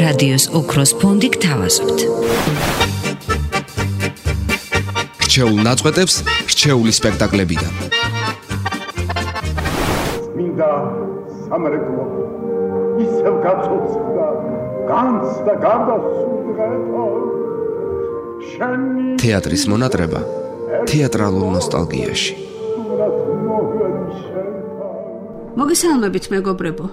რადიოს ოქროს ფონდი გთავაზობთ. რჩეულ ნაწყვეტებს რჩეული სპექტაკლებიდან. მინდა სამრეკლო ისევ გაწოცხლდა განცდა გარდასულიყვება შენი თეატრის მონატრება თეატრალურ ნოსტალგიაში. მოგესალმებით მეგობრებო.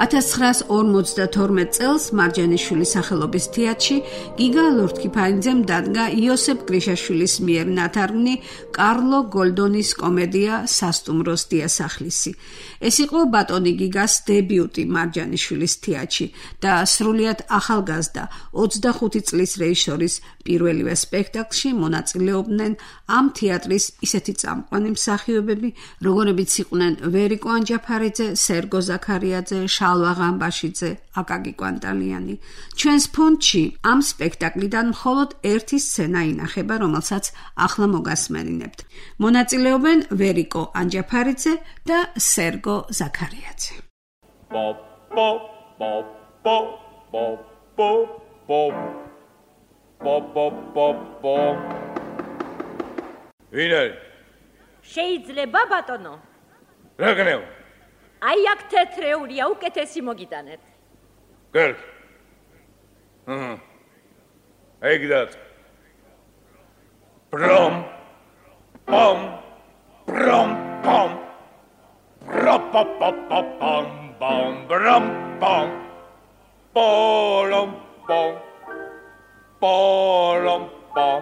1952 წელს მარჯანიშვილის სახელობის თეატრში გიგა ლორთქიფანიძემ დადგა იოსებ გრიშაშვილის მიერ ნათარგმნი კარლო გოლდონის კომედია სასტუმროს დიასახლისი. ეს იყო ბატონი გიგას დებიუტი მარჯანიშვილის თეატრში და სრულიად ახალგაზრდა 25 წლის რეჟისორის პირველივე სპექტაკლში მონაწილეობდნენ ამ თეატრის ისეთი წამყვანი მსახიობები, როგორებიც იყვნენ ვერიკო ანჯაფარიძე, სერგო ზაქარიაძე, შალვა ღამბაშიძე, აკაკი კვანტალიანი. ჩვენს ფონდში ამ სპექტაკლიდან მხოლოდ ერთი სცენა ინახება, რომელსაც ახლა მოგასმენინებთ. მონაწილეობენ ვერიკო ანჯაფარიძე და სერგო ზაქარიაძე. ვინარი? შეიძლება ბატონო? რა გნევ? აი აქ თეთრეულია, უკეთესი მოგიტანეთ. გერგ. აი გდათ. პრომ პომ პრომ პომ პროპოპოპოპომ პომ პრომ პომ პოლომ პომ პოლომ პომ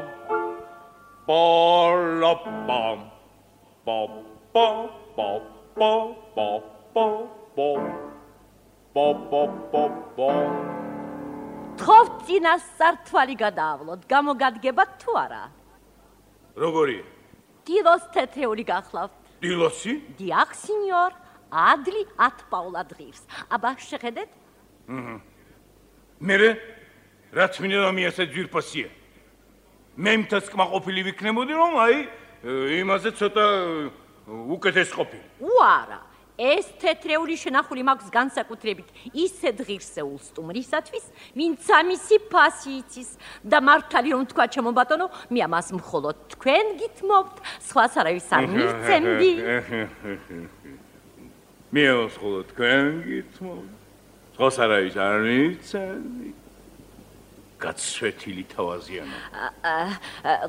პოლოპომ პოპ პოპ პოპ პოპ თხოვთ წინას სართვალი გადაავლოთ, გამოგადგებათ თუ არა? როგორია? დილოს თეთრეული გახლავთ. დილოსი? დიახ, სინიორ, ადლი 10 პაულად ღირს. აბა შეხედეთ? მერე რაც მინდა რომ ისე ძვირფასია. მე მთას კმაყოფილი ვიქნებოდი რომ აი იმაზე ცოტა უკეთეს ყოფილი. უარა, ეს თეთრეული შენახული მაქვს განსაკუთრებით ისეთ ღირსეულ სტუმრისათვის, ვინც ამისი ფასი იცის და მართალი რომ თქვა ჩემო ბატონო, მე ამას მხოლოდ თქვენ გითმობთ, სხვას არავის არ მისცემდი. მე მხოლოდ თქვენ გითმობთ, სხვას არავის არ მისცემდი. გაცვეთილი თავაზიანო.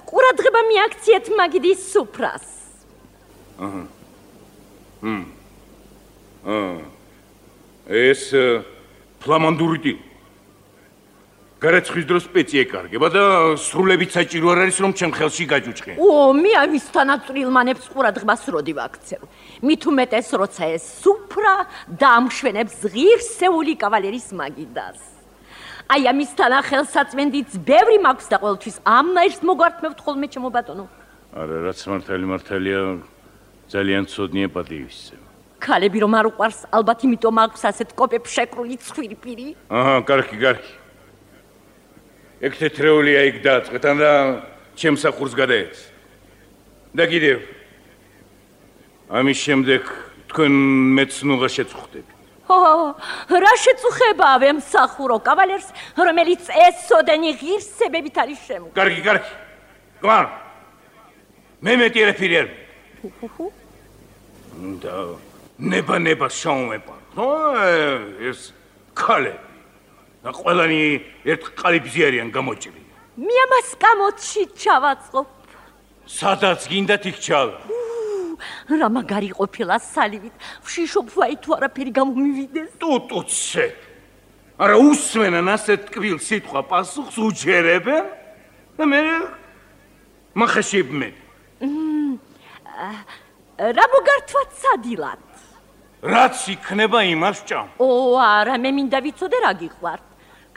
ყურადღება მიაქციეთ მაგიდის სუფრას. ეს ფლამანდური დილ. გარეცხვის დროს პეცი ეკარგება და სრულებით საჭირო არ არის რომ ჩემ ხელში გაჯუჭყე. მე ამის თანაწვრილმანებს ყურადღებას როდი ვაქცევ. მით უმეტეს როცა ეს სუფრა დაამშვენებს ღირსეული კავალერის მაგიდას. აი ამის თანა ხელსაწვენდიც ბევრი მაქვს და ყოველთვის ამნაირს მოგვართმევთ ხოლმე ჩემო ბატონო. არა, რაც მართალია ძალიან ცოდნია პატივისცემა. ქალები რომ არ უყვარს, ალბათ იმიტომ აქვს ასეთ კოპებს შეკრული ცხვირპირი. კარგი. ეგ თეთრეულია იქ დააწყეთან და ჩემ სახურს გადაეც. და კიდევ ამის შემდეგ თქვენ მეცნუღა შეწუხდებით. რა შეწუხებაა ვემსახურო კავალერს, რომელიც ესოდენი ღირსებებით არის შემო. კარგი. გმარ. მე მეტიერები არ. და ნება შაუმეპა. ეს ქალები. და ყველანი ერთ ყალიბზე არიან გამოჭრილი. მე ამას კამოთში ჩავაწყობ. სადაც გინდათ იქ ჩავა. რა მაგარი ყოფილა სალივით, ვშიშობ ვაი თუ არაფერი გამომივიდეს. ტუტუცე. არა უსმენან ასეთ ტკბილ სიტყვა პასუხს უჯერებენ და მე მახაშიბმე. რა მოგართვათ სადილად? რაც იქნება იმას ჭამ. არა, მე მინდა ვიცოდე რა გიყვართ.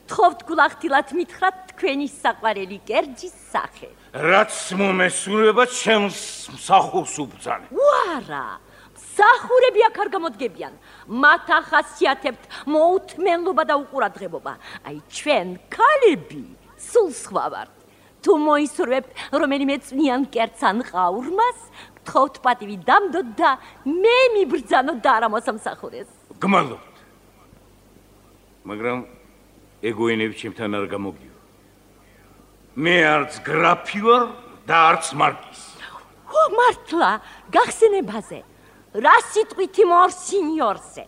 გთხოვთ გულახდილად მითხრათ თქვენი საყვარელი კერძის სახე. რაც მომესურვება ჩემს მსახურს უბრძანე. უარა, მსახურები აქ არ გამოდგებიან. მათ ახასიათებთ მოუთმენლობა და უყურადღებობა. აი ჩვენ ქალები სულ სხვა ვართ. თუ მოისურვებთ რომელიმე წვნიან კერძს ან ყაურმას, გთხოვთ პატივი დამდოთ და მე მიბრძანოთ და არ ამოსამსახურეს. გმადლობთ. მაგრამ ეგოენები ჩემთან არ გამოგიო. მე არც გრაფი ვარ და არც მარკიზი. ო, მართლა, გახსენებაზე. რა სიტყვით მორსინიორზე?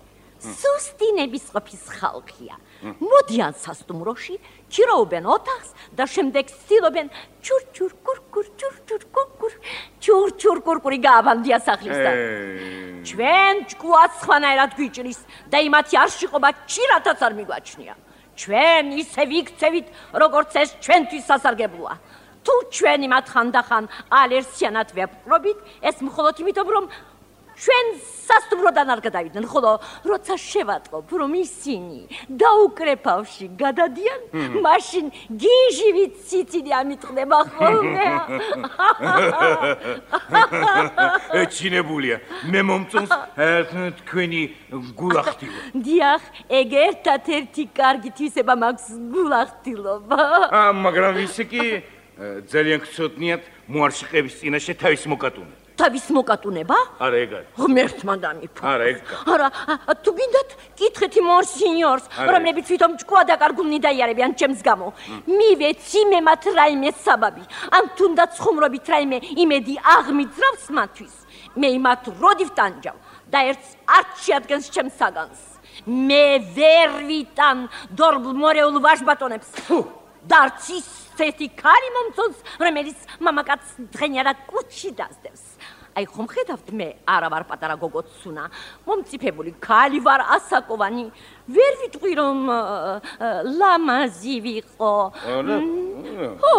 სუსტინების ყოფის ხალხია. მოდიან სასტუმროში, ჩიროობენ ოთახს და შემდეგ ცდილობენ ჩურჩურ კურკურ ჩურჩურ კურკურ ჩურჩურ კურკური გააბანდია სახლისთან. ჩვენ ჭკუაც სხვანაირად გვიჭრის და იმათი არ შიყობა ჩირათაც არ მიგვაჩნია. ჩვენ ისე ვიქცევით, როგორც ეს ჩვენთვის სასარგებლოა. თუ ჩვენ იმათ ხანდახან ალერსიანად ვეპყრობით, ეს მხოლოდ იმიტომ, რომ ჩვენ სასტუმროდან არ გადავიდნენ, ხოლო როცა შევატყობ, რომ ისინი დაუკრეფავში გადადიან, მაშინ გიჟივით სიცილი ამიტყდება ხოლმე. ეჩინებულია, მე მომწონს თქვენი გულახდილობა. დიახ, ეგ ერთად-ერთი კარგი თვისება მაქვს გულახდილობა. მაგრამ ისე კი ძალიან გწოდნიათ მოარშიყების წინაშე თავის მოკატუნება. თავის მოკატუნება? არა, ეგ არის. ღმერთმა დამიფა. არა, ეგ. არა, თუ გინდათ, კითხეთ მორსინიორს, რომლებიც თვითონ ჭკუა დაკარგულნი დაიარებიან ჩემს გამო. მივეცი მე მათ რაიმე საბაბი, ან თუნდაც ხუმრობით რაიმე იმედი აღმიძრავს მათთვის. მე იმათ როდი ვტანჯავ და ერთს არც შეადგენს ჩემს საგანს. მე ვერ ვიტან დორბლ მორეულ ვაჟბატონებს. და არც ისეთი ქალი მომწონს, რომელიც მამაკაცს დღენიარად კუჩში დასდევს. აი ხომ ხედავთ, მე არა ვარ პატარა გოგოცუნა, მომწიფებული ქალი ვარ ასაკოვანი, ვერ ვიტყვი რომ ლამაზი ვიყო. ხო,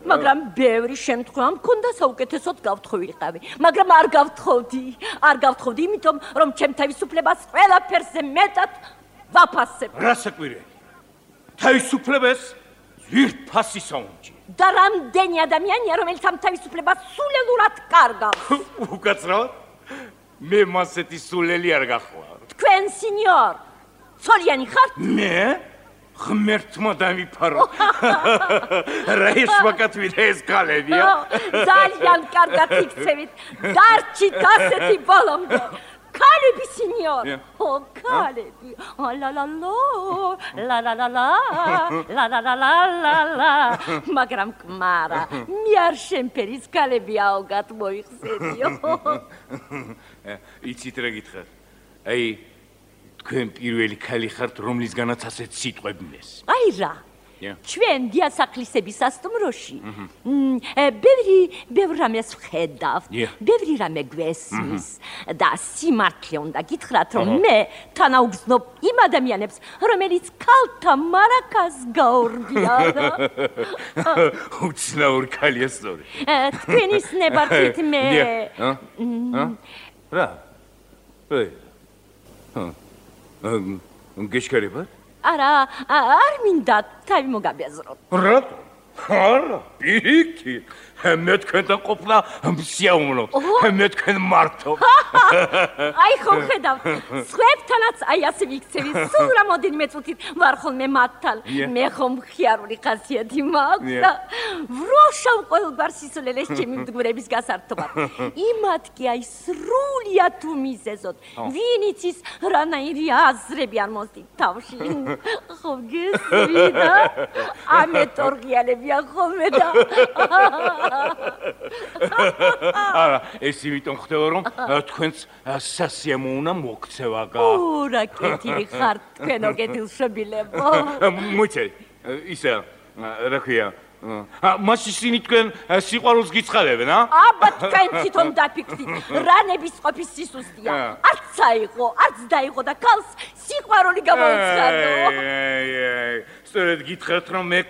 მაგრამ ბევრი შემთხვევა მქონდა საუკეთესოდ გავთხოვილიყავი, მაგრამ არ გავთხოვდი, იმიტომ რომ ჩემ თავისუფლებას ყველაფერზე მეტად ვაფასებ. რა საკვირია? თავისუფლებას ვირფასი საუნჯი. და რამდენი ადამიანია, რომელიც ამ თავისუფლებას სულელურად კარგავს? უკაცრავად? მე მასეთი სულელი არ გახვარ. თქვენ, სინიორ, ცოლიანი ხართ? მე? ღმერთმა დამიფარო. რა ისმაკათვით ეს ქალებია? ძალიან კარგად იქცევით. დარჩით ასეთი ბოლომდე. ქალები, სინიორ. ო, ქალები. ლა. მაგრამ კმარა, მე არ შემფერის ქალები აუგად მოიხსენიო. იცით რა გითხრათ? აი, თქვენ პირველი ქალი ხართ, რომლისგანაც ასეთ სიტყვები მეს. აი რა. ჩვენ დიასახლისების სასტუმროში ბევრ რამეს ვხედავთ, ბევრი რამე გვესმის და სიმართლე უნდა გითხრათ, რომ მე თანაუგზნობ იმ ადამიანებს, რომელიც ქალთა მარაკას გაორბიან. უცნაურ ქალია სწორი. თქვენის ნებართვით მე რა? გეშქარებათ? არა, არ მინდა თავი მოგაბეზროთ. რატო? არა, პირიქით. მე თქვენთან ყოფნა მსიაუნოთ. მე თქვენ მართობ. აი ხომ ხედავთ, სხვებთანაც აი ასე ვიქცევი, სულ რამოდენიმე წუთით ვარ ხოლმე მათთან. მე ხომ მხიარული ხასიათი მაქვს და ვროშავ ყოველგვარ სისულელეს ჩემი მდგვრების გასართობად. იმათ კი აი სრულიად უმიზეზოდ, ვინიც ის რანაირი აზრები არ მოსდით თავში. ხო გესვიდა? ამეტორღიანებია ხოლმე და არა, ეს იმიტომ ხდება, რომ თქვენც სასიამო უნდა მოქცევა. ო, რა კეთილი ხართ თქვენო კეთილშობილებო. მოიცე, ისა, რა ქვია, მაშინ ისინი თქვენ სიყვარულს გიცხადებენ, ა? აბა თქვენ თვითონ დაფიქრდით, რა ნების ყოფის სისუსტია. არც საიღო, არც დაიღო და ქალს სიყვარული გამოუცხადო. სწორედ გითხრათ, რომ მე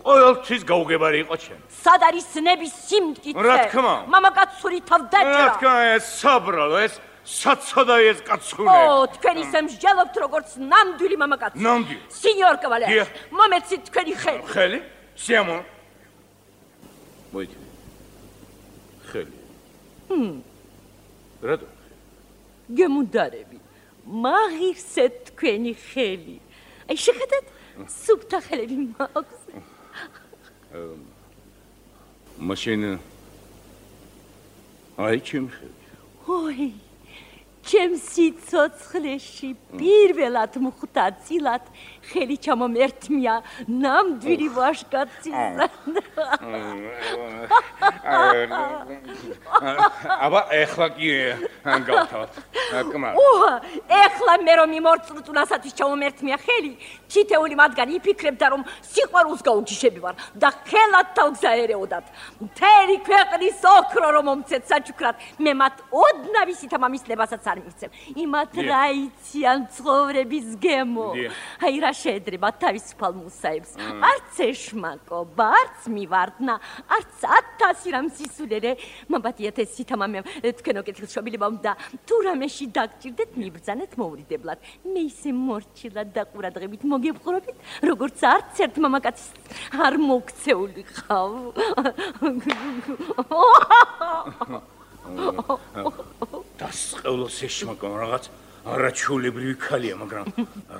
ყოველთვის გაუგებარი იყო ჩემ. სად არის ნების სიმტკიცე? რა თქმა? მამაკაცური თავდაჭრა. რა თქმა, ეს საბრალო, ეს საცოდა ეს კაცური. ო, თქვენ ისე მსჯელობთ, როგორც ნამდვილი მამაკაცი. ნამდვილი. სინიორ კავალერი, მომეცით თქვენი ხელი. ხელი? სიამო. მოიჭი. ხელი. რატო? გემუდარები. მაგისეთ თქვენი ხელი. აი შეხედეთ, სუფთა ხელები მაქვს. მაშინ აი ჩემი ხელი. ой, ჩემს სიცოცხლეში პირველად მხდა წილად ხელი ჩამომერთმია ნამდვილი ვაშკაცისა. აბა ეხლა კი გავთავთ. კმარ. ეხლა მე რომ იმორწმუნდასათვის ჩამომერთმია ხელი, თითეული მათგანი იფიქრებდა რომ სიყვარულს გაუჯიშები ვარ და ხელად თავგზა ერეოდათ. მთელი ქვეყნის ოქრო რომ მომცეთ საჩუქრად, მე მათ ოდნავ ისითა მამისლებასაც არ მივცემ. იმათ რა იციან ცხოვრების გემო. აი რა შეედრება თავისუფალ მუსაებს. არც ეშმაკობა, არც მივარდნა, არც 1000 რამ სისულელე. მამბათიათ ეს სითამამემ თქვენო კეთილშობილება უნდა თუ რამეში დაგჭირდეთ მიბრძანეთ მოურიდებლად. მე ისე მორჩილად და ყურადღებით მოგებყრობით, როგორც არც ერთ მამაკაცის არ მოგცეული ხავ. დასყევლოს ეშმაკო რაღაც არაჩვეულებრივი ქალია, მაგრამ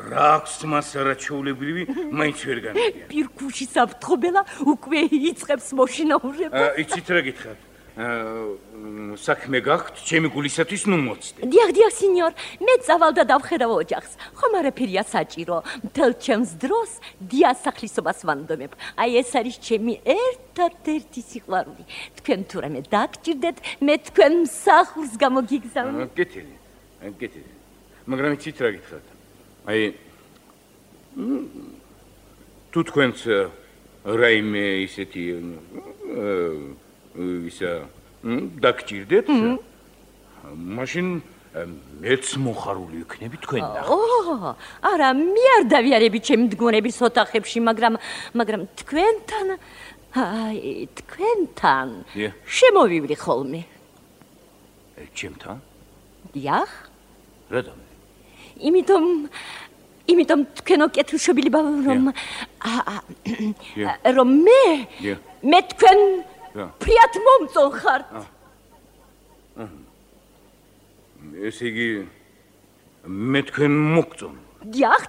რა აქვს მას არაჩვეულებრივი, მაინც ვერ გამიგია. პირქუში საფრთხობელა უკვე იწყებს მოშინაურება. იცით რა გითხრათ? საქმე გაქვთ, ჩემი გულისათვის ნუ მოცდე. დიახ, სინიორ, მე წავალ და დავხედავ ოჯახს. ხომ არაფერია საჭირო. მთელ ჩემს დროს დიას სახლისობას ვანდომებ. აი ეს არის ჩემი ერთადერთი სიყვარული. თქვენ თუ რამე დაგჭირდეთ, მე თქვენ მსახურს გამოგიგზავნებ. გეტილი. მაგრამ იცით რა გითხრათ? აი თუ თქვენც რაიმე ისეთი ისა დაგჭირდეთ, მაშინ მეც მოხარული ვიქნები თქვენთან. არა, მე არ დავიარები ჩემი მდგომარეობის ოთახებში, მაგრამ თქვენთან შემოვივლი ხოლმე. ჩემთან? დიახ. რატომ? იმიტომ თქვენო კეთილშობილება რომ მე თქვენ ფრიად მომწონხართ. ესე იგი მე თქვენ მოგწონ. დიახ,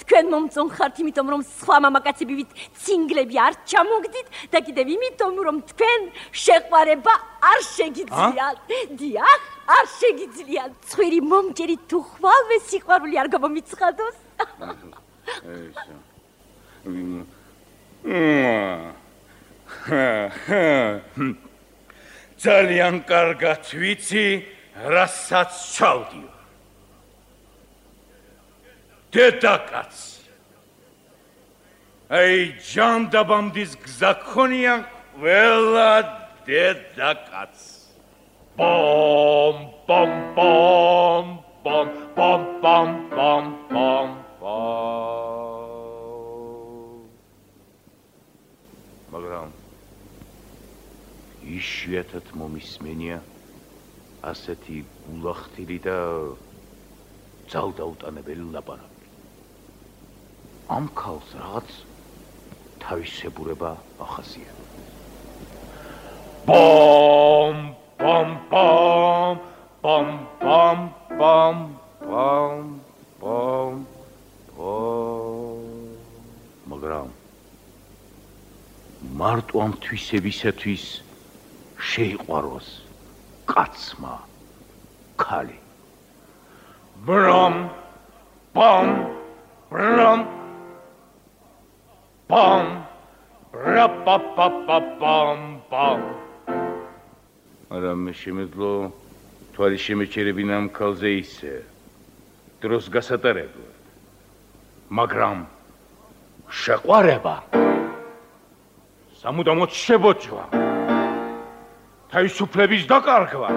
თქვენ მომწონხართ, იმიტომ რომ სხვა მამაკაცებივით ცინგლები არ ჩამოგდით და კიდევ იმიტომ რომ თქვენ შეყვარება არ შეგიძლიათ. დიახ, არ შეგიძლიათ. ცხვირი მომჭერი თუ ხვალვე სიყვარული არ გამომიცხადოს. ძალიან კარგად ვიცი, რასაც ჩავდივარ. დედაკაც. აი ჯანდაბამდის გზა ქონია ყველა დედაკაც. Bom bom bom bom bom bom bom bom bom. მაგრამ იშვიათად მომისმენია ასეთი გულახთილი და ძალდაუტანებელი ლაპარაკი. ამ ქალს რაღაც თავისებურება ახასიათებს. Bom bom bom bom bom bom bom bom bom. მაგრამ მარტო ამ თვისებისათვის შეიყვაროს კაცმა ქალი. Brom bom brom bom brom bom. არა მე შემეძლო თვალი შემეჩერებინა ამ ქალზე ისე დროს გასატარებლად. მაგრამ შეყვარება სამუდამოდ შებოჭვა. თავისუფლების დაკარგვა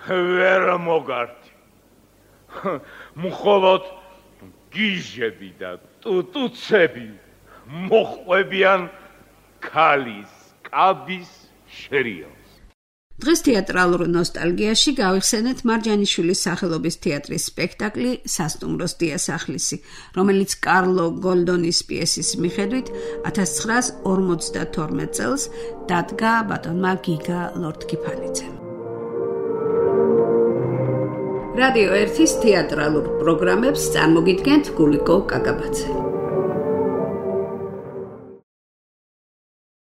ვერ მოგარდი. მხოლოდ გიჟები და ტუტუცები მოხვებიან ქალის კაბის შერიალს. დღეს თეატრალურ ნოსტალგიაში გავიხსენეთ მარჯანიშვილის სახელობის თეატრის სპექტაკლი სასტუმროს დიასახლისი, რომელიც კარლო გოლდონის პიესის მიხედვით 1952 წელს დადგა ბატონმა გიგა ლორთქიფანიძემ. რადიო 1-ის თეატრალურ პროგრამებს წარმოგიდგენთ გულიკო კაკაბაძე.